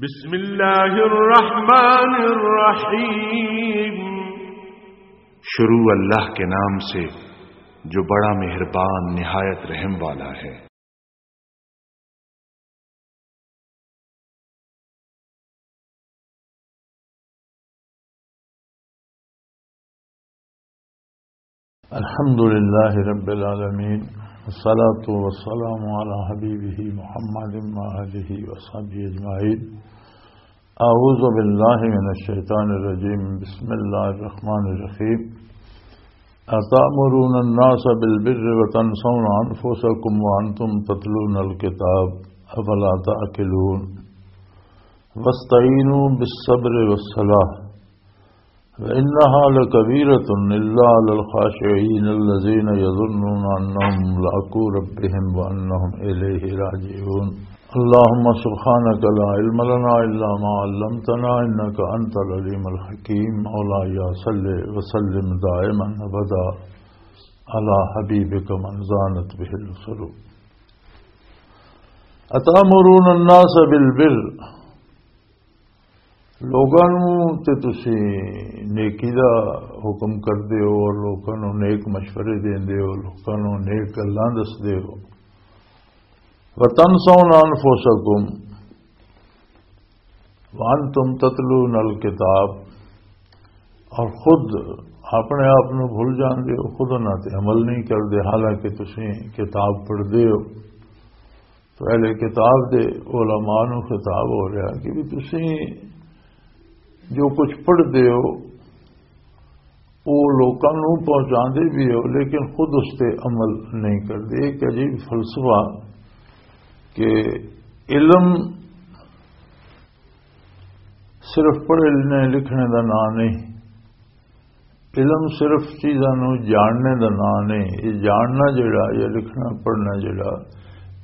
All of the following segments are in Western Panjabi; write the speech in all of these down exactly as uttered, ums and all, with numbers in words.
بسم اللہ الرحمن الرحیم۔ شروع اللہ کے نام سے جو بڑا مہربان نہایت رحم والا ہے۔ الحمد لله رب العالمين، والصلاة والسلام على حبيبه محمد وآله وصحبه أجمعين. أعوذ بالله من الشيطان الرجيم. بسم الله الرحمن الرحيم. أتأمرون الناس بالبر وتنسون أنفسكم وأنتم تتلون الكتاب، أفلا تعقلون؟ واستعينوا بالصبر والصلاة، وإنها لكبيرة إلا على الخاشعين الذين يظنون أنهم ملاقو ربهم وأنهم إليه راجعون. اللهم سبحانك لا علم لنا إلا ما علمتنا إنك أنت العليم الحكيم. مولاي صل وسلم دائما أبدا على حبيبك من زانت به القلوب. أتأمرون الناس بالبر، لوگاں نوں تے تسی نیکی دا حکم کردے ہو اور لوگاں نوں نیک مشورے دیندے ہو، لوگاں نوں نیک گلاں دسدے ہو۔ وتنسون انفسکم وانتم تتلون الکتاب، اور خود اپنے آپ نوں بھول جاندے ہو، خود انہاں تے عمل نہیں کردے، حالانکہ تسی کتاب پڑھدے ہو۔ تو اہل کتاب دے علماء نوں خطاب ہو رہا کہ بھی تسی جو کچھ پڑھدے ہو، وہ لوکاں نوں پہنچاندے بھی ہو، لیکن خود اس تے عمل نہیں کردے۔ ایک عجیب فلسفہ کہ علم صرف پڑھنے لکھنے دا نام نہیں، علم صرف چیزاں نوں جاننے دا نام نہیں۔ یہ جاننا جڑا، یہ لکھنا پڑھنا جڑا،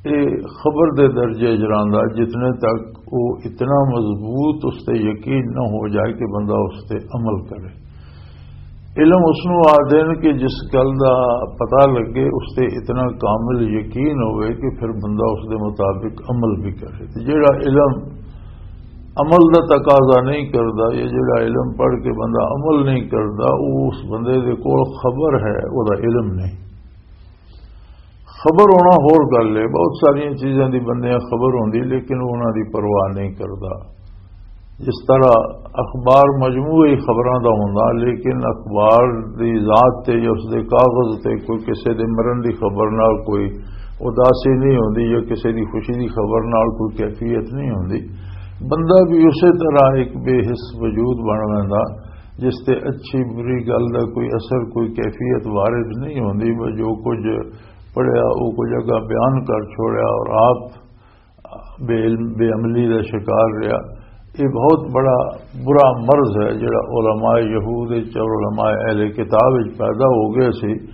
یہ خبر دے درجے چ رہندا، جتنے تک وہ اتنا مضبوط اس تے یقین نہ ہو جائے کہ بندہ اس تے عمل کرے۔ علم اس نوں آ دین کہ جس گل دا پتہ لگے، اس تے اتنا کامل یقین ہوئے کہ پھر بندہ اس دے مطابق عمل بھی کرے۔ تے جیڑا علم عمل دا تقاضا نہیں کردا، یا جیڑا علم پڑھ کے بندہ عمل نہیں کردا، وہ اس بندے دے کول خبر ہے، وہ دا علم نہیں۔ خبر ہونا ہور گل ہے، بہت ساریاں چیزاں دی بندیاں خبر ہوندی، لیکن وہ انہاں دی پرواہ نہیں کردا۔ جس طرح اخبار مجموعی خبراں دا ہوندا، لیکن اخبار دی ذات تے یا اس دے کاغذ تے کوئی کسے دے مرن دی خبر نال کوئی اداسی نہیں ہوندی یا کسے دی خوشی دی خبر نال کوئی کیفیت نہیں ہوندی۔ بندہ بھی اسی طرح ایک بے حس وجود بن ویندا، جس تے اچھی بری گل دا کوئی اثر، کوئی کیفیت وارد نہیں ہوندی، بس جو کچھ پڑھیا، وہ کچھ اگا بیان کر چھوڑیا اور آپ بے علم، بے عملی دا شکار رہیا۔ یہ بہت بڑا برا مرض ہے جڑا علماء یہود وچ اور علماء اہل کتاب وچ پیدا ہو گئے سی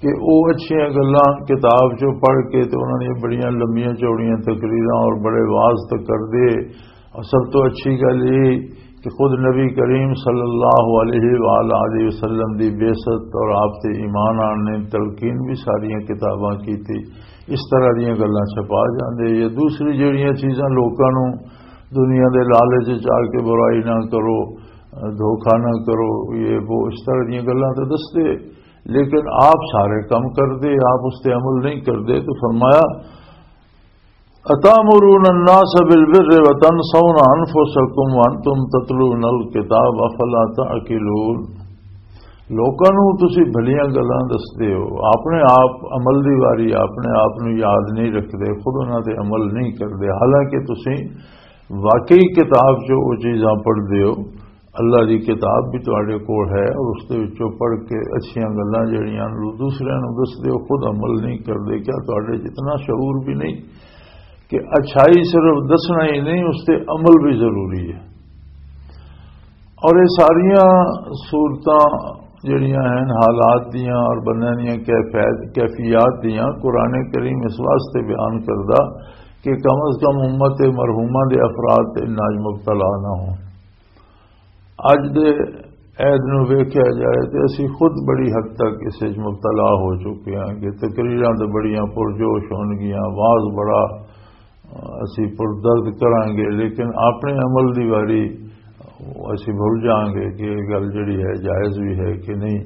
کہ وہ اچھیاں گلاں کتاب چوں پڑھ کے تے انہاں دیاں بڑیاں لمبیاں چوڑیاں تقریراں اور بڑے واز تے کردے۔ اور سب تو اچھی گل یہ کہ خود نبی کریم صلی اللہ علیہ وآلہ وسلم دی بعثت اور آپ تے ایمان آن نے تلقین بھی ساریاں کتاباں کی تھی۔ اس طرح دیاں گلاں چھپا جاندے۔ یا دوسری جڑیاں چیزاں لوکاں نوں دنیا دے لالچ وچ آ کے برائی نہ کرو، دھوکا نہ کرو، یہ وہ اس طرح دیاں گلاں تے دسدے، لیکن آپ سارے کم کردے، آپ اس تے عمل نہیں کردے۔ تو فرمایا، "اتامرون الناس بالبر وتنسون انفسکم وانتم تتلون الکتاب افلا تعقلون۔" لوکاں نوں تسی بھلیاں گلاں دسدے ہو، اپنے آپ عمل دی واری، اپنے آپ نوں یاد نہیں رکھدے، خود انہاں تے عمل نہیں کردے، حالانکہ تسی واقعی کتاب چ وہ چیزاں پڑھدے ہو۔ اللہ دی کتاب بھی تواڈے کول ہے اور اس دے وچوں پڑھ کے اچھیاں گلاں جڑیاں نوں دوسریاں نوں دسدے ہو، خود عمل نہیں کردے۔ کیا تواڈے جتنا شعور بھی نہیں کہ اچھائی صرف دسنا ہی نہیں، اس تے عمل بھی ضروری ہے؟ اور یہ ساریاں صورتاں جڑیاں ہیں حالات دیاں اور بندیاں دیاں کیفیت، کیفیات دیاں، قرآن کریم اس واسطے بیان کردا کہ کم از کم امت مرحومہ دے افراد تے اناج مبتلا نہ ہوں۔ اج دے عہد نوں ویکھیا جائے تے اسی خود بڑی حد تک اس وچ مبتلا ہو چکے ہاں کہ تقریراں تے بڑیاں پرجوش ہون گیاں، واز بڑا اسی پردرد کرانگے، لیکن اپنے عمل دی واری اسی بھول جانگے کہ یہ گل جڑی ہے جائز بھی ہے کہ نہیں۔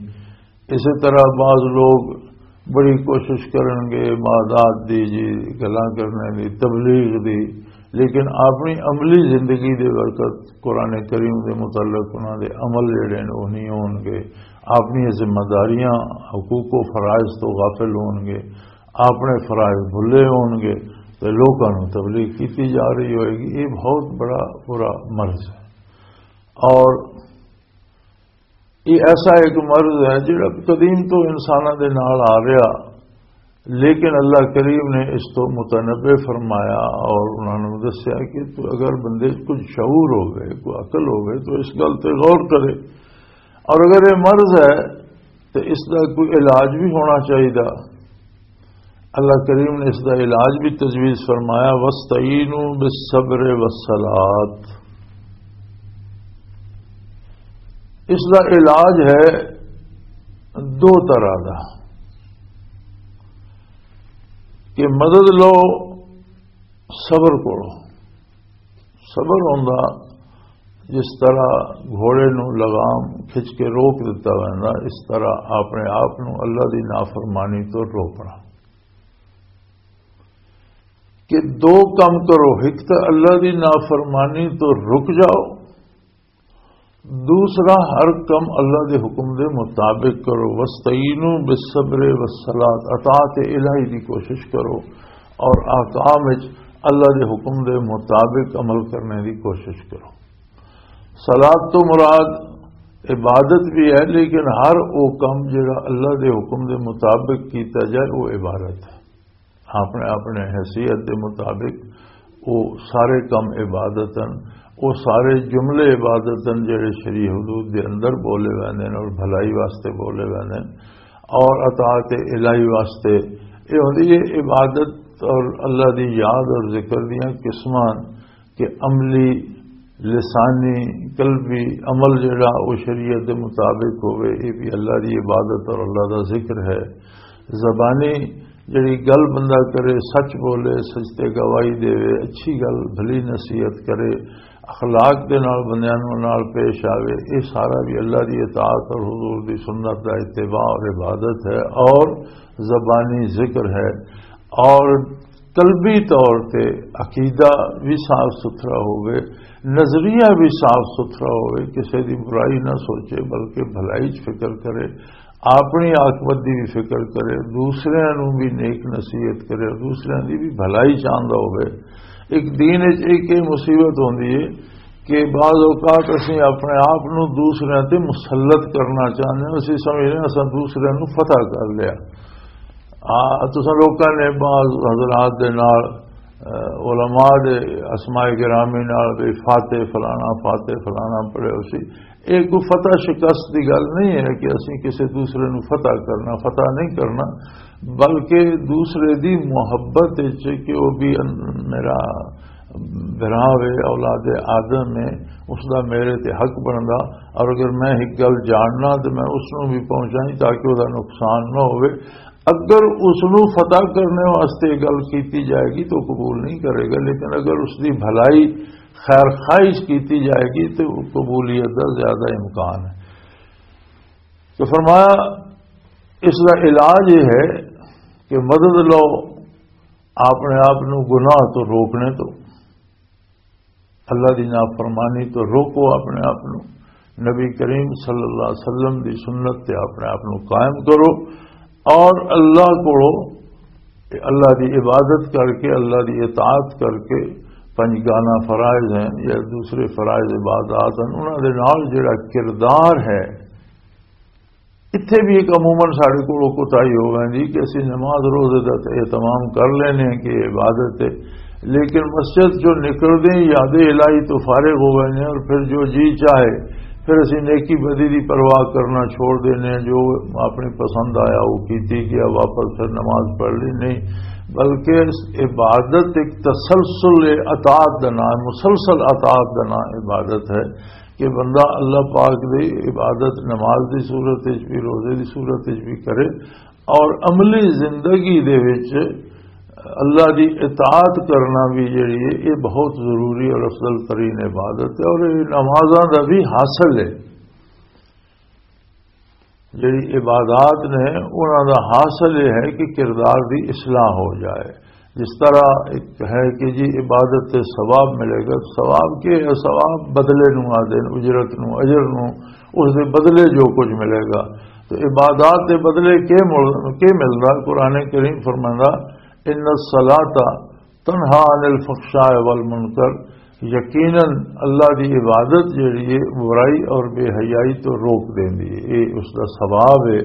اسی طرح بعض لوگ بڑی کوشش کرنگے معدات دی، جی، گلاں کرنے دی، تبلیغ دی، لیکن اپنی عملی زندگی دے وقت قرآن کریم دے متعلق انہاں دے عمل جڑے نے وہ نہیں ہونگے، اپنی ذمہ داریاں، حقوق و فرائض تو غافل ہونگے، اپنے فرائض بھلے ہونگے تے لوکاں نوں تبلیغ کیتی جا رہی ہوئے گی۔ یہ بہت بڑا برا مرض ہے، اور یہ ایسا ایک مرض ہے جڑا قدیم تو انساناں دے نال آ رہا، لیکن اللہ کریم نے اس تو متنبع فرمایا اور انہوں نے دسیا کہ تو اگر بندے 'چ کچھ شعور ہوئے، کوئی عقل ہوئے، تو اس گل تے غور کرے، اور اگر یہ مرض ہے تو اس دا کوئی علاج بھی ہونا چاہیے۔ اللہ کریم نے اس دا علاج بھی تجویز فرمایا، "وَاسْتَعِينُوا بِالصَّبْرِ وَالصَّلَاةِ۔" اس دا علاج ہے دو طرح دا، کہ مدد لو صبر کو۔ صبر ہوندا جس طرح گھوڑے نوں لگام کھچ کے روک دتا ویندا، اس طرح اپنے آپ نوں اللہ دی نافرمانی تو روکنا۔ کہ دو کم کرو، ایک تو اللہ دی نافرمانی تو رک جاؤ، دوسرا ہر کم اللہ دے حکم دے مطابق کرو۔ "وَاسْتَعِينُوا بِالصَّبْرِ وَالصَّلَاةِ"، اطاعت الہی دی کوشش کرو اور احکام وچ اللہ دے حکم دے مطابق عمل کرنے دی کوشش کرو۔ صلات تو مراد عبادت بھی ہے، لیکن ہر وہ کم جڑا اللہ دے حکم دے مطابق کیتا جائے، وہ عبادت ہے۔ اپنے اپنے حیثیت دے مطابق وہ سارے کم عبادت ہیں، وہ سارے جملے عبادت ہیں جڑے شریع حدود دے اندر بولے ویندے ہیں اور بھلائی واسطے بولے ویندے ہیں اور اطاعت الہی واسطے۔ یہ ہوندی ہے عبادت اور اللہ دی یاد اور ذکر دیاں قسماں کہ عملی، لسانی، قلبی عمل جڑا وہ شریعت دے مطابق ہوئے، یہ بھی اللہ دی عبادت اور اللہ دا ذکر ہے۔ زبانی جڑی گل بندہ کرے، سچ بولے، سچ تے گواہی دے، اچھی گل، بھلی نصیحت کرے، اخلاق دے نال بندیاں نوں نال پیش آوے، یہ سارا بھی اللہ دی اطاعت اور حضور دی سنت دا اتباع اور عبادت ہے اور زبانی ذکر ہے۔ اور قلبی طور تے عقیدہ بھی صاف ستھرا ہوئے، نظریہ بھی صاف ستھرا ہوئے، کسی دی برائی نہ سوچے بلکہ بھلائی چ فکر کرے، اپنی عاقبت دی بھی فکر کرے، دوسرے نوں بھی نیک نصیحت کرے، دوسرے دی بھی بھلائی چاہندا ہوئے۔ ایک دین وچ ایک یہ مصیبت ہوندی ہے کہ بعض اوقات اسی اپنے آپ نوں دوسرے تے مسلط کرنا چاہندے ہیں، اسی سمجھنے اساں دوسرے نوں فتح کر لیا۔ آ، تساں لوکاں نے بعض حضرات دے نال، آ، علماء دے اسماء گرامی نال بھی فاتح فلانا، فاتح فلانا پڑھے ہو سی۔ یہ کوئی فتح شکست دی گل نہیں ہے کہ اسی کسی دوسرے نو فتح کرنا، فتح نہیں کرنا، بلکہ دوسرے دی محبت وچ کہ وہ بھی ان-، میرا بھرا وے، اولاد آدم ہے، اس دا میرے تے حق بندا، اور اگر میں ایک گل جاننا تو میں اس نو بھی پہنچائی تاکہ وہ نقصان نہ ہوئے۔ اگر اس نو فتح کرنے واسطے گل کیتی جائے گی تو قبول نہیں کرے گا، لیکن اگر اس دی بھلائی، خیر خواہش کیتی جائے گی تو قبولیت دا زیادہ امکان ہے۔ تو فرمایا، اس دا علاج یہ ہے کہ مدد لو اپنے آپ نو گناہ تو روکنے تو، اللہ دی نافرمانی تو روکو اپنے آپ نو، نبی کریم صلی اللہ علیہ وسلم دی سنت تے اپنے آپ نو قائم کرو، اور اللہ کو، اللہ دی عبادت کر کے، اللہ دی اطاعت کر کے، پنج گانا فرائض ہیں یا دوسرے فرائض عبادات ہیں، انہاں دے نال جڑا کردار ہے، اتھے بھی ایک عموماً ساڈے کولوں کوتاہی ہو ویندی کہ اسی نماز روزے دا تے اہتمام کر لینے ہیں کہ عبادت ہے، لیکن مسجد جو نکلدے ہیں یاد الہی تو فارغ ہو ویندے ہیں، اور پھر جو جی چاہے، پھر اسی نیکی بدی دی پرواہ کرنا چھوڑ دینے ہیں، جو اپنی پسند آیا وہ کیتی گیا، واپس پھر نماز پڑھ لی، نہیں، بلکہ اس عبادت ایک تسلسل اطاعت دا نام ہے، مسلسل اطاعت دا نام عبادت ہے۔ کہ بندہ اللہ پاک دی عبادت نماز دی صورت وچ بھی، روزے دی صورت وچ بھی کرے، اور عملی زندگی دے وچ اللہ دی اطاعت کرنا بھی جڑی ہے، یہ بہت ضروری اور افضل ترین عبادت ہے، اور یہ نمازاں دا بھی حاصل ہے۔ جڑی عبادات نے، انہاں دا حاصل یہ ہے کہ کردار دی اصلاح ہو جائے۔ جس طرح ایک ہے کہ جی عبادت تے ثواب ملے گا، ثواب کے ہے؟ ثواب بدلے نو آدھے نے، اجرت نو، اجر نو، اس دے بدلے جو کچھ ملے گا۔ تو عبادات دے بدلے کے مل-، کے ملدا؟ قرآن کریم فرماندا، "ان الصلاۃ تنہا عن الفحشاء والمنکر"، یقیناً اللہ دی عبادت جڑی ہے، برائی اور بے حیائی تو روک دیندی ہے۔ یہ اس دا ثواب ہے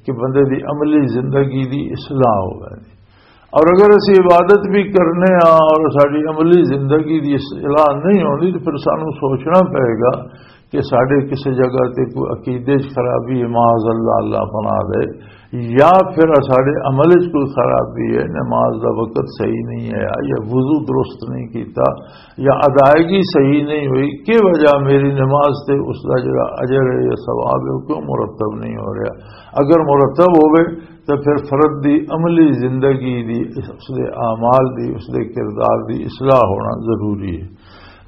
کہ بندے دی عملی زندگی دی اصلاح ہو جائے۔ اور اگر اسی عبادت بھی کرنے ہاں اور ساری عملی زندگی دی اصلاح نہیں ہوندی، تو پھر سانو سوچنا پائے گا کہ ساڈے کسی جگہ تے کوئی عقیدے چ خرابی ہے، معاذ اللہ، اللہ پناہ دے، یا پھر ساڈے عمل چ کوئی خرابی ہے، نماز دا وقت صحیح نہیں ہے، یا وضو درست نہیں کیتا، یا ادائیگی صحیح نہیں ہوئی، کی وجہ میری نماز تے اس دا جڑا اجر ہے یا ثواب ہے، وہ کیوں مرتب نہیں ہو رہا؟ اگر مرتب ہوئے تو پھر فرد دی عملی زندگی دی، اس دے اعمال دی، اس دے کردار دی اصلاح ہونا ضروری ہے۔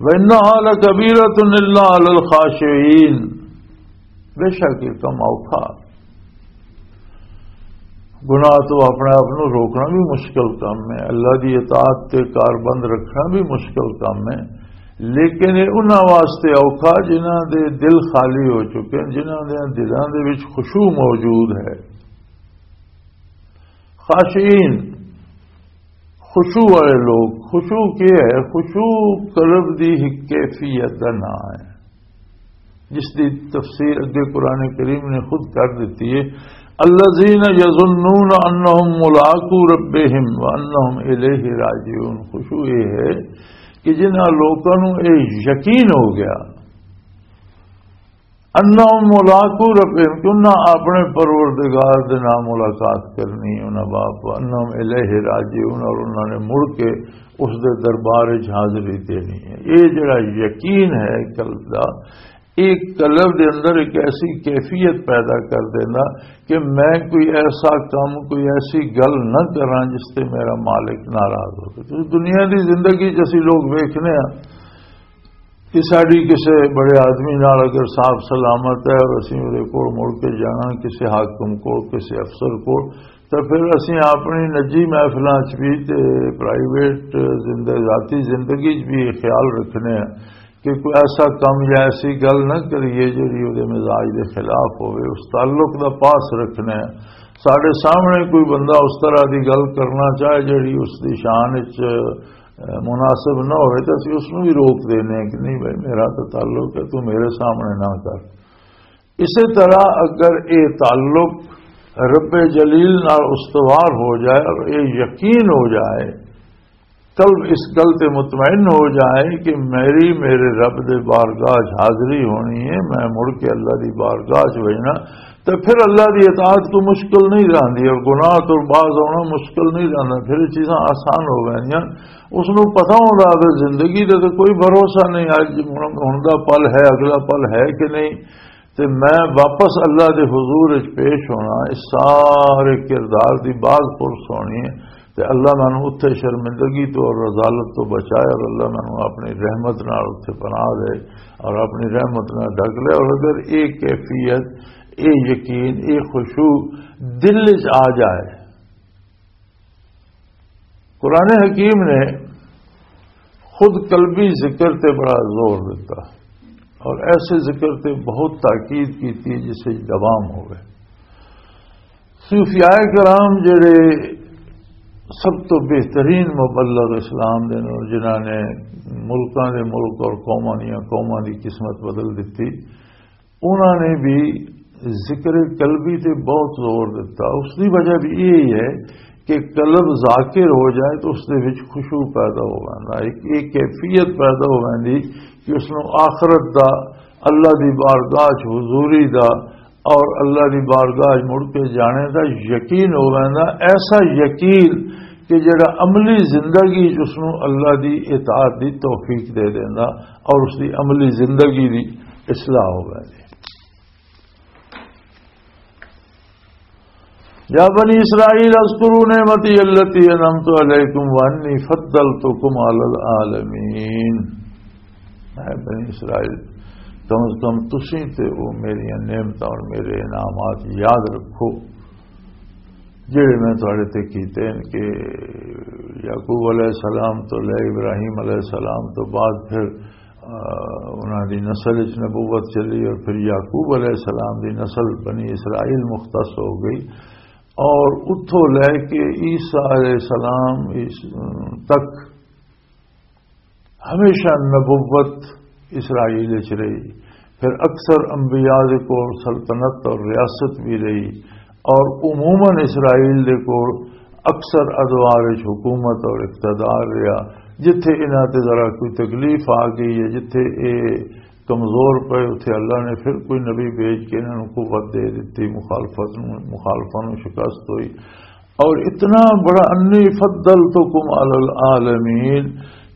وَإِنَّهَا لَكَبِيرَةٌ إِلَّا عَلَى الْخَاشِعِينَ، بے شک یہ کم اوکھا۔ گناہ تو اپنے آپ نو روکنا بھی مشکل کم ہے، اللہ دی اطاعت تے کار بند رکھنا بھی مشکل کم ہے، لیکن یہ انہاں واسطے اوکھا جنہاں دے دل خالی ہو چکے ہیں، جنہاں دے دلاں دے وچ خشوع موجود ہے۔ خاشعین، خشوع والے لوگ۔ خشوع کیا ہے؟ خشوع قلب دی ایک کیفیت دا نام ہے، جس دی تفسیر اگے قرآن کریم نے خود کر دیتی ہے، "الذین یظنون انہم ملاقو ربہم وانہم الیہ راجعون۔" خشوع یہ ہے کہ جنہاں لوکاں نوں یہ یقین ہو گیا، انہم ملاقو ربہم، کہ انہاں اپنے پروردگار دے نال ملاقات کرنی، انہاں باپ، انہم الیہ راجعون، اور انہاں نے مڑ کے اس دے دربار وچ حاضری دینی ہے۔ یہ جڑا یقین ہے قلب دا، یہ قلب دے اندر ایک ایسی کیفیت پیدا کر دینا کہ میں کوئی ایسا کام، کوئی ایسی گل نہ کراں جس تے میرا مالک ناراض ہو۔ تو دنیا دی زندگی جیسی لوگ ویکھنے ہیں، کہ ساڈی کسے بڑے آدمی نال اگر صاف سلامت ہے اور اسی اودے کول مڑ کے جانا، کسے حاکم کول، کسے افسر کول، تو پھر اسی اپنی نجی محفلاں چ بھی تے پرائیویٹ زندگی، ذاتی زندگی چ بھی یہ خیال رکھنے ہیں کہ کوئی ایسا کم یا ایسی گل نہ کریے جڑی اودے مزاج دے خلاف ہوئے۔ اس تعلق دا پاس رکھنے ہیں۔ ساڈے سامنے کوئی بندہ اس طرح دی گل کرنا چاہے جڑی اس دی شان وچ مناسب نہ ہوئے تو اسی اس نوں بھی روک دینے ہیں کہ نہیں بھائی، میرا تو تعلق ہے، تو میرے سامنے نہ کر۔ اسی طرح اگر یہ تعلق رب جلیل نال استوار ہو جائے اور یہ یقین ہو جائے، قلب اس گل تے مطمئن ہو جائے کہ میری، میرے رب دے بارگاہ چ حاضری ہونی ہے، میں مڑ کے اللہ دی بارگاہ چ وجنا، تو پھر اللہ دی اطاعت کو مشکل نہیں رہندی اور گناہ تو باز ہونا مشکل نہیں رہندا، پھر یہ چیزاں آسان ہو گئیاں۔ اس نوں پتہ ہوندا کہ زندگی دا تو کوئی بھروسہ نہیں، اج ہن، ہن دا پل ہے، اگلا پل ہے کہ نہیں، تے میں واپس اللہ دے حضور وچ پیش ہونا، اس سارے کردار دی باز پرس ہونی ہے۔ تے اللہ مینوں اتھے شرمندگی تو اور رذالت تو بچائے، اور اللہ مینوں اپنی رحمت نال اتھے پناہ دے اور اپنی رحمت نال ڈھک لے۔ اور اگر یہ کیفیت، یہ یقین، یہ خشوع دل وچ آ جائے، قرآن حکیم نے خود قلبی ذکر تے بڑا زور دیتا اور ایسے ذکر تے بہت تاکید کی تھی جس وچ دوام ہوئے۔ صوفیاء کرام جڑے سب تو بہترین مبلغ اسلام دے نال، جنہاں نے ملکاں دے ملک اور قوماں دیاں قوماں دی قسمت بدل دتی، انہاں نے بھی ذکر قلبی تے بہت زور دیتا۔ اس دی وجہ بھی یہی ہے کہ قلب ذاکر ہو جائے تو اس دے وچ خشوع پیدا ہو ویندا، ایک، ایک کیفیت پیدا ہو ویندی کہ اس نوں آخرت دا، اللہ دی بارگاہ چ حضوری دا اور اللہ دی بارگاہ چ مڑ کے جانے دا یقین ہو ویندا، ایسا یقین کہ جڑا عملی زندگی چ اس نوں اللہ دی اطاعت دی توفیق دے دیندا اور اس دی عملی زندگی دی اصلاح ہو ویندی۔ یا بنی اسرائیل اذکروا نعمتی التی انعمت علیکم وانی فضلتکم علی العالمین۔ اے بنی اسرائیل، کم از کم تسی تے او میریاں نعمتاں اور میرے انعامات یاد رکھو، جڑے میں تہاڈے تے کیتے ہیں کہ یعقوب علیہ السلام تو لے ابراہیم علیہ السلام تو بعد پھر، آ، انہاں دی نسل وچ نبوت چلی اور پھر یعقوب علیہ السلام دی نسل بنی اسرائیل مختص ہو گئی۔ اور اتھوں لے کے عیسیٰ علیہ السلام اس تک ہمیشہ نبوت اسرائیل وچ رہی۔ پھر اکثر انبیاء دے کول سلطنت اور ریاست بھی رہی، اور عموماً اسرائیل دے کول اکثر ادوار وچ حکومت اور اقتدار رہا۔ جتھے انہاں تے ذرا کوئی تکلیف آ گئی ہے، جتھے اے کمزور پئے، اتھے اللہ نے پھر کوئی نبی بھیج کے انہاں نوں قوت دے دتی، مخالفت نوں، مخالفاں نوں شکست ہوئی۔ اور اتنا بڑا، انی فضلتکم علی العالمین،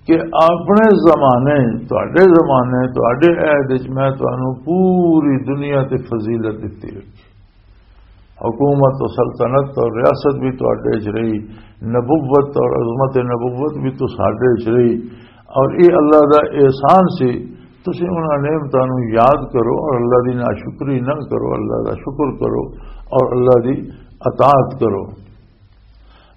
کہ اپنے زمانے، تہاڈے زمانے، تہاڈے عہد وچ میں تانوں پوری دنیا تے فضیلت دتی رکھی۔ حکومت و سلطنت اور ریاست بھی تہاڈے وچ رہی، نبوت اور عظمت نبوت بھی تو ساڈے وچ رہی۔ اور یہ اللہ دا احسان سی، تسی انہاں نعمتاں نوں یاد کرو اور اللہ دی ناشکری نہ کرو، اللہ دا شکر کرو اور اللہ دی اطاعت کرو۔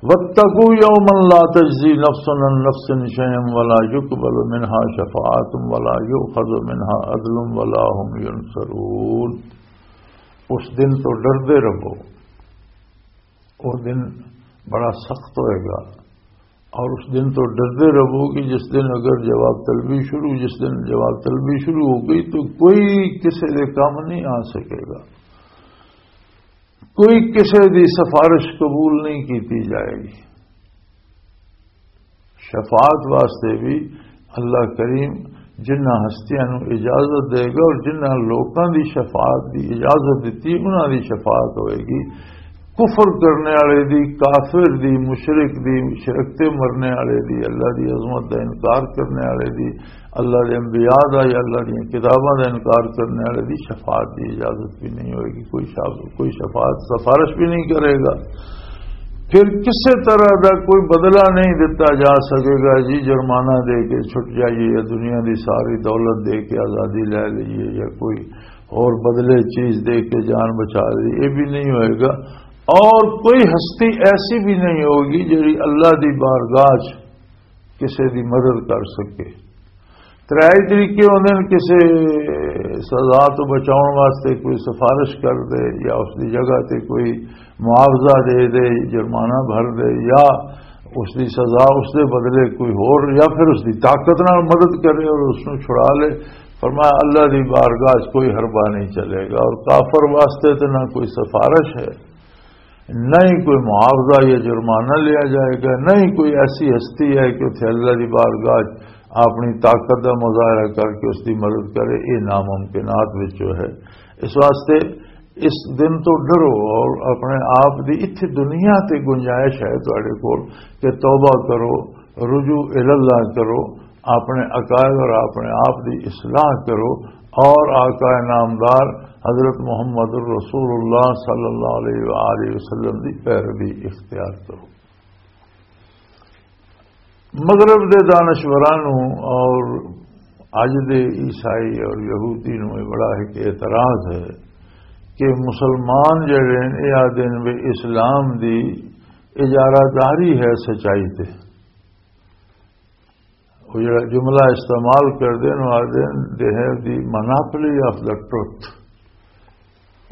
واتقوا يوما لا تجزي نفس عن نفس شيئا ولا يقبل منها شفاعة ولا يؤخذ منها عدل ولا هم ينصرون۔ اس دن تو ڈردے رہو، وہ دن بڑا سخت ہوئے گا، اور اس دن تو ڈردے رہو کہ جس دن اگر جواب طلبی شروع، جس دن جواب طلبی شروع ہو گئی تو کوئی کسی دے کام نہیں آ سکے گا، کوئی کسی دی سفارش قبول نہیں کیتی جائے گی۔ شفاعت واسطے بھی اللہ کریم جنہاں ہستیاں نوں اجازت دے گا اور جنہاں لوکاں دی شفاعت دی اجازت دتی، انہاں دی شفاعت ہوئے گی۔ کفر کرنے والے دی، کافر دی، مشرک دی، شرک تے مرنے والے دی، اللہ دی عظمت دا انکار کرنے والے دی، اللہ دے انبیاء دا یا اللہ دی کتاباں دا انکار کرنے والے دی شفاعت دی اجازت بھی نہیں ہوئے گی۔ کوئی شاف-، کوئی شفاعت، سفارش بھی نہیں کرے گا۔ پھر کسے طرح دا کوئی بدلہ نہیں دتا جا سکے گا، جی جرمانہ دے کے چھٹ جائیے یا دنیا دی ساری دولت دے کے آزادی لے لئیے یا کوئی اور بدلے چیز دے کے جان بچا لئیے، یہ بھی نہیں ہوئے گا۔ اور کوئی ہستی ایسی بھی نہیں ہوگی جڑی اللہ دی بارگاہ چ کسے دی مدد کر سکے۔ ترے طریقے ہوندے نے، کسے سزا تو بچاؤن واسطے کوئی سفارش کر دے، یا اس دی جگہ تے کوئی معاوضہ دے دے، جرمانہ بھر دے، یا اس دی سزا اس دے بدلے کوئی ہور، یا پھر اس دی طاقت نال مدد کرے اور اس نوں چھڑا لے۔ فرمایا، اللہ دی بارگاہ 'چ کوئی حربہ نہیں چلے گا، اور کافر واسطے تے نہ کوئی سفارش ہے، نہ ہی کوئی معاوضہ یا جرمانہ لیا جائے گا، نہ ہی کوئی ایسی ہستی ہے کہ اتھے اللہ دی بارگاہ 'چ اپنی طاقت دا مظاہرہ کر کے اس دی مدد کرے۔ یہ ناممکنات وچوں ہے۔ اس واسطے اس دن تو ڈرو اور اپنے آپ دی اتھی دنیا تے گنجائش ہے تہاڈے کول کہ توبہ کرو، رجوع الاللہ کرو، اپنے عقائد اور اپنے آپ دی اصلاح کرو، اور آقا نامدار حضرت محمد الرسول اللہ صلی اللہ علیہ وآلہ وسلم دی پیروی اختیار کرو۔ مغرب دے دانشوراں نوں اور اج دے عیسائی اور یہودی نوں یہ بڑا ایک اعتراض ہے کہ مسلمان جڑے نے، یہ آدھے نے بھی اسلام دی اجارہ داری ہے سچائی تے۔ وہ جڑا جملہ استعمال کردے نے، آدھے نے they have the monopoly of the truth۔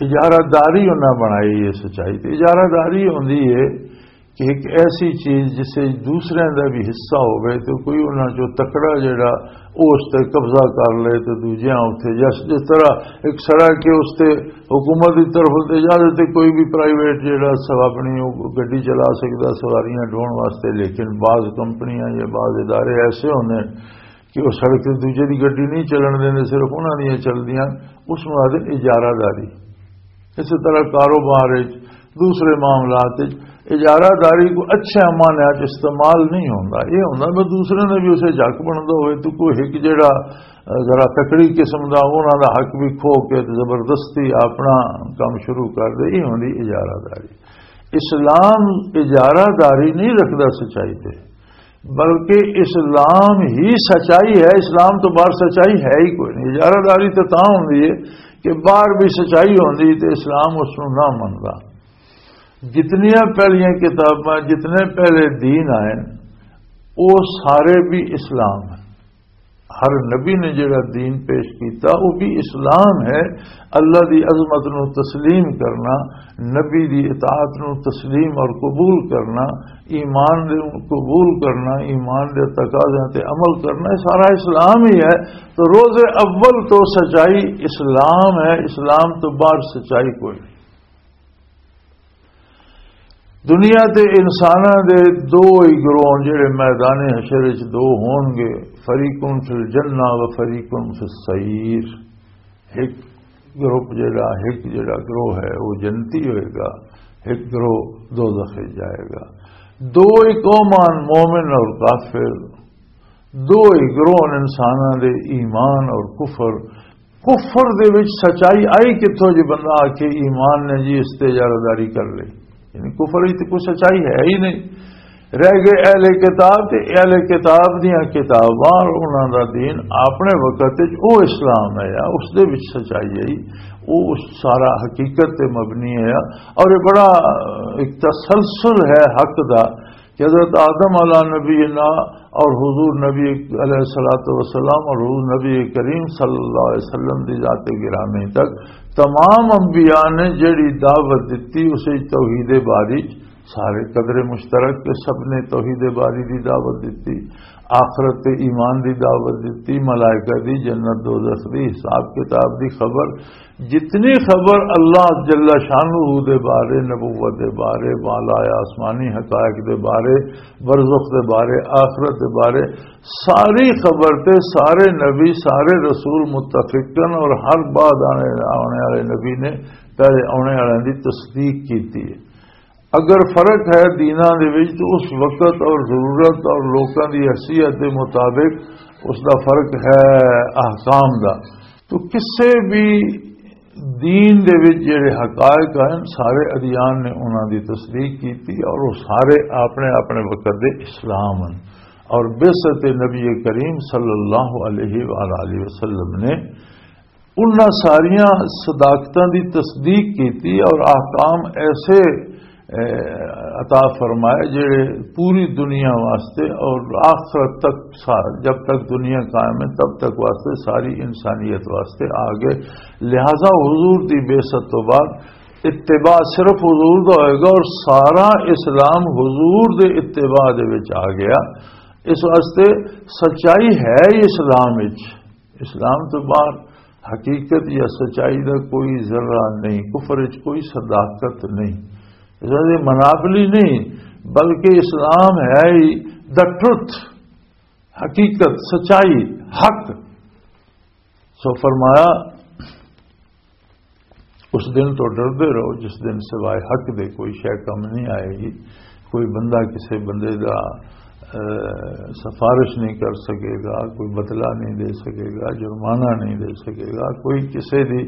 اجارہ داری انہاں بنائی ہے سچائی تے۔ اجارہ داری ہوندی ہے کہ ایک ایسی چیز جس سے دوسرے دا بھی حصہ ہوئے، تو کوئی انہاں چوں تکڑا جڑا، او اس تے قبضہ کر لے، تو دوجیاں اتھے، جس، جس طرح ایک سڑک ہے، اس تے حکومت دی طرف تے اجازت ہے، کوئی بھی پرائیویٹ جڑا سب اپنی او گڈی چلا سکدا سواریاں ڈھون واسطے، لیکن بعض کمپنیاں یا بعض ادارے ایسے ہوندے نے کہ وہ سڑک تے دوجے دی گڈی نہیں چلن دیندے، صرف انہاں دیاں چلدیاں، اس نوں آخدے اجارہ داری۔ اسی طرح کاروبار وچ، دوسرے معاملات وچ اجارہ داری کو اچھے معنی وچ استعمال نہیں ہوندا۔ یہ ہوندا میں دوسرے نے بھی اسے جھک بندا ہوئے، تو کوئی ایک جڑا، اہ، ذرا تکڑی قسم دا، انہاں دا حق بھی کھو کے تے زبردستی اپنا کام شروع کر دے، یہ ہوندی اجارہ داری۔ اسلام اجارہ داری نہیں رکھدا سچائی تے، بلکہ اسلام ہی سچائی ہے۔ اسلام تو باہر سچائی ہے ہی کوئی نہیں۔ اجارہ داری تو تاں ہوندی ہے کہ باہر بھی سچائی ہوندی تے اسلام اس نوں نہ مندا۔ جتنیاں پہلیاں کتاباں، جتنے پہلے دین آئے، وہ سارے بھی اسلام ہیں۔ ہر نبی نے جڑا دین پیش کیتا، وہ بھی اسلام ہے۔ اللہ دی عظمت نو تسلیم کرنا، نبی دی اطاعت نو تسلیم اور قبول کرنا، ایمان دے قبول کرنا، ایمان دے تقاضیاں تے عمل کرنا، یہ سارا اسلام ہی ہے۔ تو روز اول تو سچائی اسلام ہے، اسلام تو باہر سچائی کوئی نہیں۔ دنیا دے انساناں دے دو ہی گروہ، جڑے میدان حشر وچ دو ہون گے، فریقٌ فی الجنہ و فریقٌ فی السعیر۔ ایک گروپ جڑا، ایک جڑا گروہ ہے، وہ جنتی ہوئے گا، ایک گروہ دوزخ وچ جائے گا۔ دو ہی قومان، مومن اور کافر، دو ہی گروہ انساناں دے، ایمان اور کفر۔ کفر دے وچ سچائی آئی کتھوں جی؟ بندہ آ کے ایمان نے جی اس تے اجارہ داری کر لئی، یعنی کفر وچ تے کوئی سچائی ہے ہی نہیں۔ رہ گئے اہل کتاب، تے اہل کتاب دیاں کتاباں اور انہاں دا دین اپنے وقت وچ او اسلام ہے یا اس دے وچ سچائی ہے، او اس سارا حقیقت تے مبنی ہے۔ اور یہ بڑا ایک تسلسل ہے حق دا کہ حضرت آدم علیہ نبینا اور حضور نبی علیہ الصلوۃ والسلام اور حضور نبی کریم صلی اللہ علیہ وسلم دی ذات گرامی تک تمام انبیاء نے جڑی دعوت دتی، اسے توحید باری، سارے قدر مشترک کے سب نے توحید باری دی دعوت دتی، آخرت تے ایمان دی دعوت دتی، ملائکہ دی، جنت دوزخ دی، حساب کتاب دی خبر، جتنی خبر اللہ جل شانہ دے بارے، نبوت دے بارے، بالا آسمانی حقائق دے بارے، برزخ دے بارے، آخرت دے بارے، ساری خبر تے سارے نبی، سارے رسول متفقن اور ہر بعد آنے، آنے والے نبی نے پہلے آنے والے دی تصدیق کیتی ہے۔ اگر فرق ہے دیناں دے وچ تو اس وقت اور ضرورت اور لوکاں دی حیثیت دے مطابق اس دا فرق ہے احکام دا۔ تو کسے بھی دین دے وچ جڑے حقائق ہیں، سارے ادیان نے انہاں دی تصدیق کیتی اور وہ سارے اپنے اپنے وقت دے اسلام ہیں۔ اور بعثت نبی کریم صلی اللہ علیہ وآلہ وسلم نے انہاں ساریاں صداقتاں دی تصدیق کیتی اور احکام ایسے، اے، عطا فرمائے جڑے پوری دنیا واسطے اور آخرت تک سا-، جب تک دنیا قائم ہے تب تک واسطے ساری انسانیت واسطے آ گئے۔ لہذا حضور دی بعثت تو بعد اتباع صرف حضور دا ہوئے گا اور سارا اسلام حضور دے اتباع دے وچ آ گیا۔ اس واسطے سچائی ہے ہی اسلام وچ۔ اسلام تو باہر حقیقت یا سچائی دا کوئی ذرہ نہیں، کفر وچ کوئی صداقت نہیں، اس واسطے مناپلی نہیں، بلکہ اسلام ہے ہی دا ٹروتھ، حقیقت، سچائی، حق۔ سو فرمایا، اس دن تو ڈردے رہو جس دن سوائے حق دے کوئی شے کم نہیں آئے گی۔ کوئی بندہ کسی بندے دا، اے، سفارش نہیں کر سکے گا، کوئی بدلہ نہیں دے سکے گا، جرمانہ نہیں دے سکے گا، کوئی کسی دی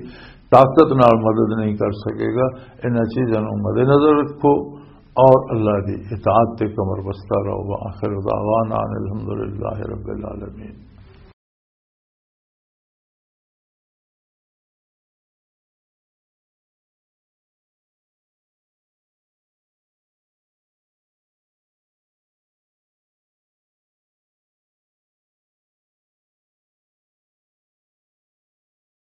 طاقت نال مدد نہیں کر سکے گا۔ انہاں چیزاں نوں مد نظر رکھو اور اللہ دی اطاعت تے کمر بستہ رہو۔ وآخر دعوانا ان الحمدللہ رب العالمین۔